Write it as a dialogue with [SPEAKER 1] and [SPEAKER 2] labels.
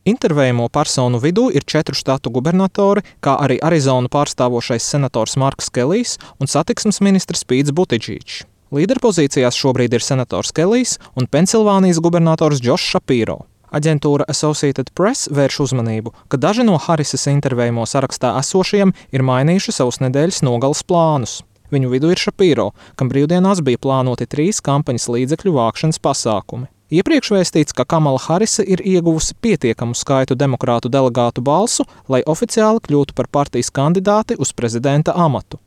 [SPEAKER 1] Intervējamo personu vidū ir 4 štatu gubernatori, kā arī Arizonu pārstāvošais senators Marks Kelijs un satiksmes ministrs Pīts Butidžīčs. Līderpozīcijās šobrīd ir senators Kelijs un Pensilvānijas gubernators Džošs Šapīro. Aģentūra Associated Press vērš uzmanību, ka daži no Harrisas intervējamo sarakstā esošiem ir mainījuši savus nedēļas nogales plānus. Viņu vidū ir Šapīro, kam brīvdienās bija plānoti 3 kampaņas līdzekļu vākšanas pasākumi. Iepriekš vēstīts, ka Kamala Harrisa ir ieguvusi pietiekamu skaitu demokrātu delegātu balsu, lai oficiāli kļūtu par partijas kandidāti uz prezidenta amatu.